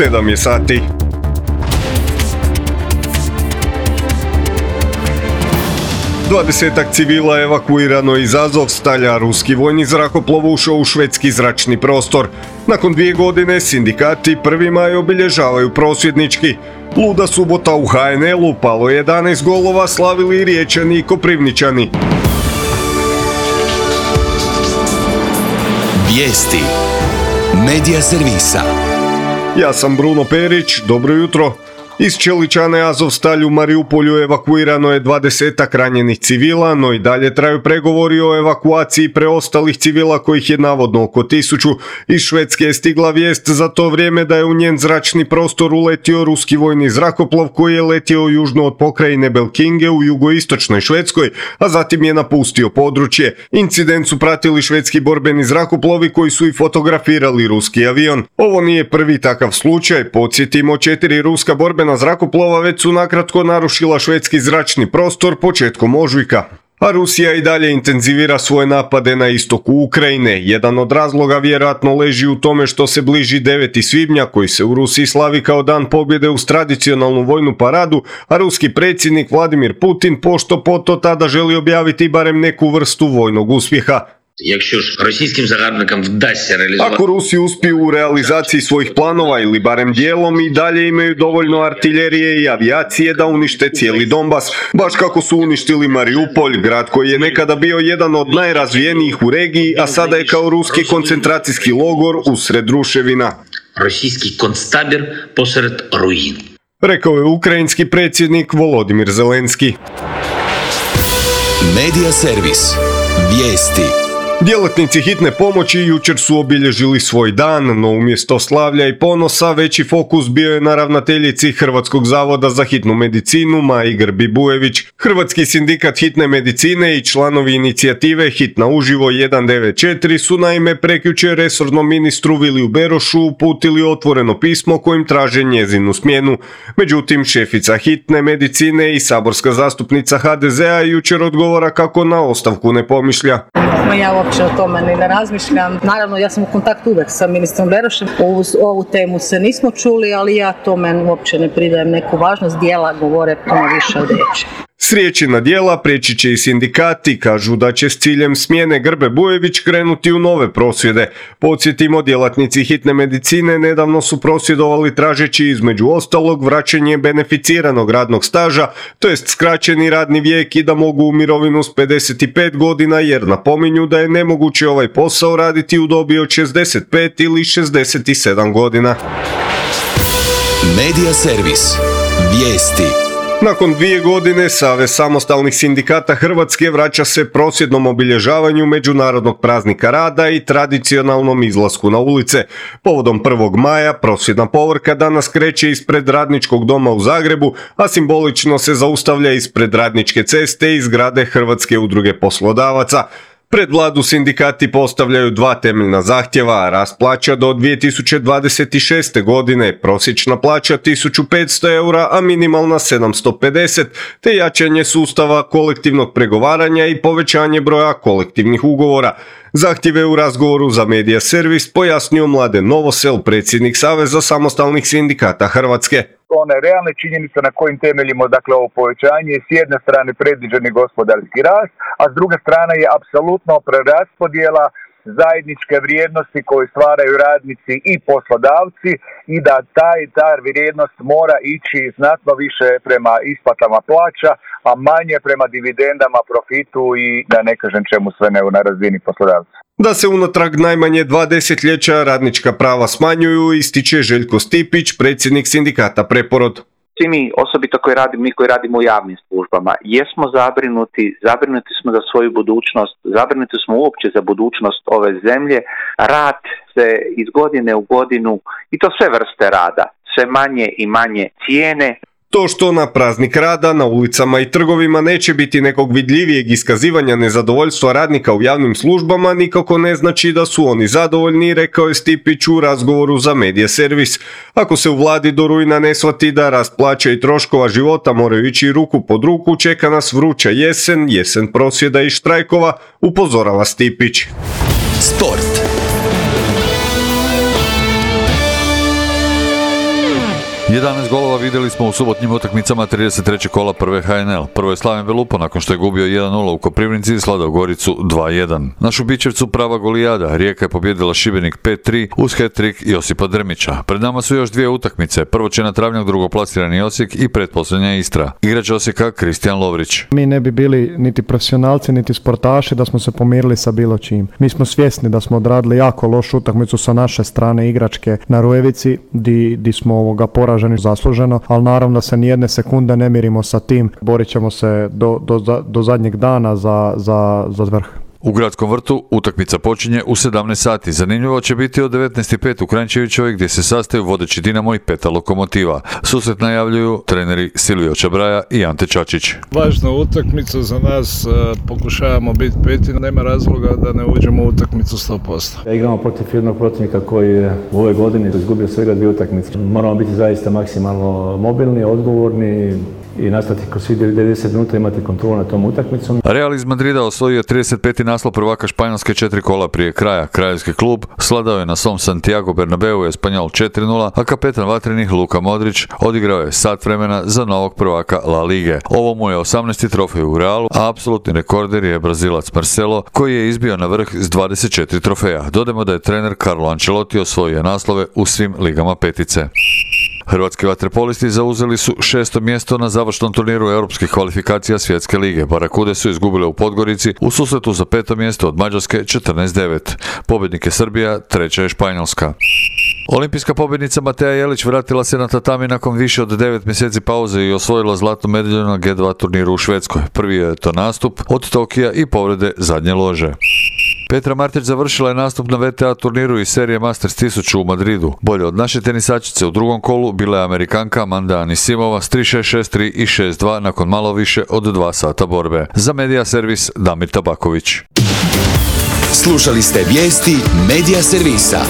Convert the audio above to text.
7 je sati. Dvadesetak civila evakuirano iz Azovstalja, ruski vojni zrakoplov ušao u švedski zračni prostor. Nakon 2 godine sindikati 1. maj obilježavaju prosvjednički. Luda subota u HNL-u, palo 11 golova, slavili Riječani i Koprivničani. Vijesti Medija servisa. Ja sam Bruno Perić, dobro jutro. Iz Čeličane Azovstalju u Mariupolju evakuirano je 20 ranjenih civila, no i dalje traju pregovori o evakuaciji preostalih civila kojih je navodno oko 1000. Iz Švedske je stigla vijest za to vrijeme da je u njen zračni prostor uletio ruski vojni zrakoplov koji je letio južno od pokrajine Belkinge u jugoistočnoj Švedskoj, a zatim je napustio područje. Incident su pratili švedski borbeni zrakoplovi koji su i fotografirali ruski avion. Ovo nije prvi takav slučaj, podsjetimo 4 ruska borbena zrakoplova već su nakratko narušila švedski zračni prostor početkom ožujka. A Rusija i dalje intenzivira svoje napade na istoku Ukrajine. Jedan od razloga vjerojatno leži u tome što se bliži 9. svibnja koji se u Rusiji slavi kao dan pobjede uz tradicionalnu vojnu paradu, a ruski predsjednik Vladimir Putin pošto poto tada želi objaviti barem neku vrstu vojnog uspjeha. Ako Rusi uspiju u realizaciji svojih planova ili barem dijelom i dalje imaju dovoljno artiljerije i avijacije da unište cijeli Donbas, baš kako su uništili Mariupolj, grad koji je nekada bio jedan od najrazvijenijih u regiji, a sada je kao ruski koncentracijski logor usred ruševina. Rosijski konctabir posred ruin. Rekao je ukrajinski predsjednik Volodimir Zelenski. Medija servis. Vijesti. Djelatnici hitne pomoći jučer su obilježili svoj dan, no umjesto slavlja i ponosa veći fokus bio je na ravnateljici Hrvatskog zavoda za hitnu medicinu Maji Grbi Bujević. Hrvatski sindikat hitne medicine i članovi inicijative Hitna uživo 194 su naime prekjučer resornom ministru Viliju Berošu uputili otvoreno pismo kojim traže njezinu smjenu. Međutim, šefica hitne medicine i saborska zastupnica HDZ-a jučer odgovara kako na ostavku ne pomišlja. Ja uopće o tome ni ne razmišljam. Naravno, ja sam u kontaktu uvijek sa ministrom Berošem. Ovu temu se nismo čuli, ali ja tome uopće ne pridajem neku važnost. Djela govore puno više od riječi. S riječi na djela prijeći će i sindikati, kažu da će s ciljem smjene Grbe Bujević krenuti u nove prosvjede. Podsjetimo, djelatnici hitne medicine nedavno su prosvjedovali tražeći između ostalog vraćanje beneficiranog radnog staža, to jest skraćeni radni vijek i da mogu u mirovinu s 55 godina jer napominju da je nemoguće ovaj posao raditi u dobi od 65 ili 67 godina. Medija servis. Vijesti. Nakon 2 godine Savez samostalnih sindikata Hrvatske vraća se prosvjednom obilježavanju Međunarodnog praznika rada i tradicionalnom izlasku na ulice. Povodom 1. maja prosvjedna povorka danas kreće ispred Radničkog doma u Zagrebu, a simbolično se zaustavlja ispred Radničke ceste i zgrade Hrvatske udruge poslodavaca. Pred vladu sindikati postavljaju 2 temeljna zahtjeva, rast plaća do 2026. godine, prosječna plaća 1500 eura, a minimalna 750, te jačanje sustava kolektivnog pregovaranja i povećanje broja kolektivnih ugovora. Zahtjeve u razgovoru za Medija servis pojasnio Mladen Novosel, predsjednik Saveza samostalnih sindikata Hrvatske. One realne činjenice na kojim temeljimo ovo povećanje je s jedne strane predviđeni gospodarski rast, a s druge strane je apsolutno preraspodjela zajedničke vrijednosti koje stvaraju radnici i poslodavci i da ta vrijednost mora ići znatno više prema isplatama plaća, a manje prema dividendama, profitu i da ne kažem čemu sve ne na razini poslodavca. Da se unatrag najmanje 2 desetljeća radnička prava smanjuju, ističe Željko Stipić, predsjednik sindikata Preporod. Svi mi, osobito mi koji radimo u javnim službama, jesmo zabrinuti smo za svoju budućnost, zabrinuti smo uopće za budućnost ove zemlje. Rad se iz godine u godinu, i to sve vrste rada, sve manje i manje cijene. To što na praznik rada na ulicama i trgovima neće biti nekog vidljivijeg iskazivanja nezadovoljstva radnika u javnim službama nikako ne znači da su oni zadovoljni, rekao je Stipić u razgovoru za Medija servis. Ako se u vladi do rujna ne shvati da rast plaća i troškova života moraju ići ruku pod ruku, čeka nas vruća jesen prosvjeda i štrajkova, upozorava Stipić. Sport. 11 golova vidjeli smo u subotnjim utakmicama 33. kola prve HNL. Prvo je Slaven Belupo nakon što je gubio 1-0 u Koprivnici i Sladao Goricu 2-1. Našu Bičevcu prava golijada. Rijeka je pobjedila Šibenik 5-3 uz hat-trick Josipa Drmića. Pred nama su još dvije utakmice. Prvo će na Travnjak drugoplasirani Osijek i pretposljednja Istra. Igrač Osijeka Kristijan Lovrić. Mi ne bi bili niti profesionalci niti sportaši da smo se pomirili sa bilo čim. Mi smo svjesni da smo odradili jako lošu utakmicu sa naše strane igračke na Rujevici di smo poraženi zasluženo, ali naravno da se nijedne sekunde ne mirimo sa tim. Borit ćemo se do zadnjeg dana za vrh. U Gradskom vrtu utakmica počinje u 17 sati. Zanimljivo će biti od 19.05 u Kranjčevićevoj gdje se sastaju vodeći Dinamo i Peta Lokomotiva. Susret najavljuju treneri Silvio Čabraja i Ante Čačić. Važna utakmica za nas, pokušavamo biti peti, nema razloga da ne uđemo u utakmicu 100%. Igramo protiv jednog protivnika koji je u ovoj godini izgubio svega 2 utakmice. Moramo biti zaista maksimalno mobilni, odgovorni i nastaviti kroz 90 minuta imati kontrolu na tom utakmicom. Real iz Madrida osvojio 35. naslov prvaka Španjolske 4 kola prije kraja. Kraljevski klub sladao je na svom Santiago Bernabeu Espanjol 4-0, a kapetan vatrenih Luka Modrić odigrao je sat vremena za novog prvaka La Lige. Ovo mu je 18. trofej u Realu, a apsolutni rekorder je Brazilac Marcelo, koji je izbio na vrh s 24 trofeja. Dodajmo da je trener Carlo Ancelotti osvojio naslove u svim ligama petice. Hrvatski vaterpolisti zauzeli su 6. mjesto na završnom turniru europskih kvalifikacija Svjetske lige. Barakude su izgubile u Podgorici u susretu za 5. mjesto od Mađarske 14-9. Pobjednik je Srbija, treća je Španjolska. Olimpijska pobjednica Mateja Jelić vratila se na tatami nakon više od 9 mjeseci pauze i osvojila zlatnu medalju na G2 turniru u Švedskoj. Prvi je to nastup od Tokija i povrede zadnje lože. Petra Martić završila je nastup na VTA turniru iz serije Masters 1000 u Madridu. Bolje od naše tenisačice u drugom kolu bila je Amerikanka Amanda Anisimova s 3-6, 6-3 i 6-2 nakon malo više od 2 sata borbe. Za Media Servis Damir Tabaković. Slušali ste vijesti Media Servisa.